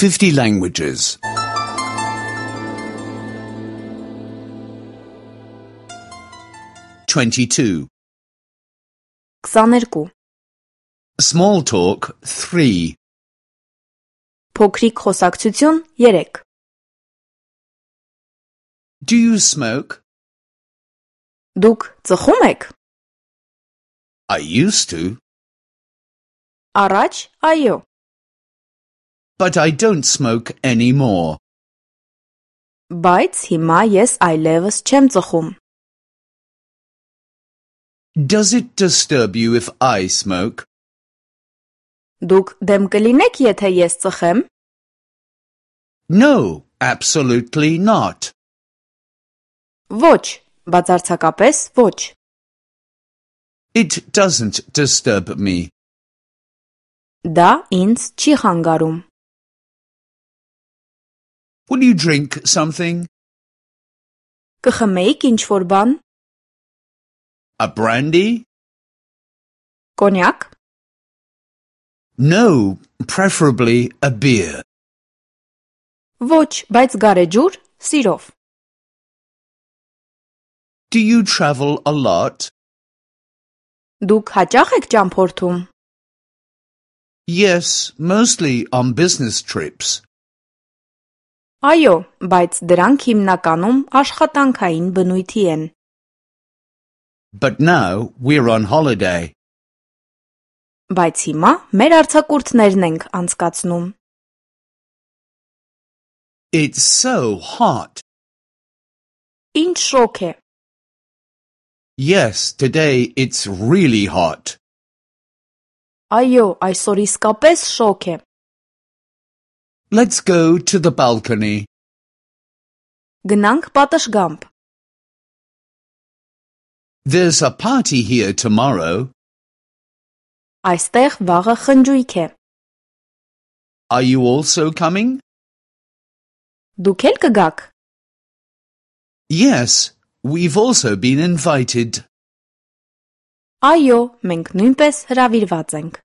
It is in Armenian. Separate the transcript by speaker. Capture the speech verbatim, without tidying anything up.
Speaker 1: fifty languages. twenty-two.
Speaker 2: քսաներկու.
Speaker 1: Small talk three.
Speaker 2: Փոքրիկ խոսակցություն երեք.
Speaker 1: Do you smoke?
Speaker 2: Դուք ծխում եք?
Speaker 1: I used to,
Speaker 2: Առաջ, այո.
Speaker 1: but I don't smoke anymore.
Speaker 2: Բայց հիմա ես այլևս չեմ ծխում.
Speaker 1: Does it disturb you if I smoke?
Speaker 2: Դուք դեմ կլինեք, եթե ես ծխեմ?
Speaker 1: No, absolutely not.
Speaker 2: Ոչ, բացարձակապես ոչ.
Speaker 1: It doesn't disturb me.
Speaker 2: Դա ինձ չի խանգարում.
Speaker 1: Will you drink something?
Speaker 2: Կխմեիք ինչ-որ բան?
Speaker 1: A brandy?
Speaker 2: Կոնյակ?
Speaker 1: No, preferably a beer.
Speaker 2: Ոչ, բայց գարեջուր, սիրով.
Speaker 1: Do you travel a lot?
Speaker 2: Դուք հաճախ եք ճամփորդում?
Speaker 1: Yes, mostly on business trips.
Speaker 2: Այո, բայց դրանք հիմնականում աշխատանքային բնույթի են.
Speaker 1: But now we're on holiday.
Speaker 2: Բայց հիմա մեր արձակուրդներն ենք անցկացնում.
Speaker 1: It's so hot.
Speaker 2: Ինչ շոկ է.
Speaker 1: Yes, today it's really hot.
Speaker 2: Այո, այսօր իսկապես շոկ է.
Speaker 1: Let's go to the balcony.
Speaker 2: Գնանք պատշգամբ.
Speaker 1: There's a party here tomorrow.
Speaker 2: Այստեղ վաղը խնջույք է.
Speaker 1: Are you also coming?
Speaker 2: Դուք էլ կգաք?
Speaker 1: Yes, we've also been invited.
Speaker 2: Այո, մենք նույնպես հրավիրված ենք.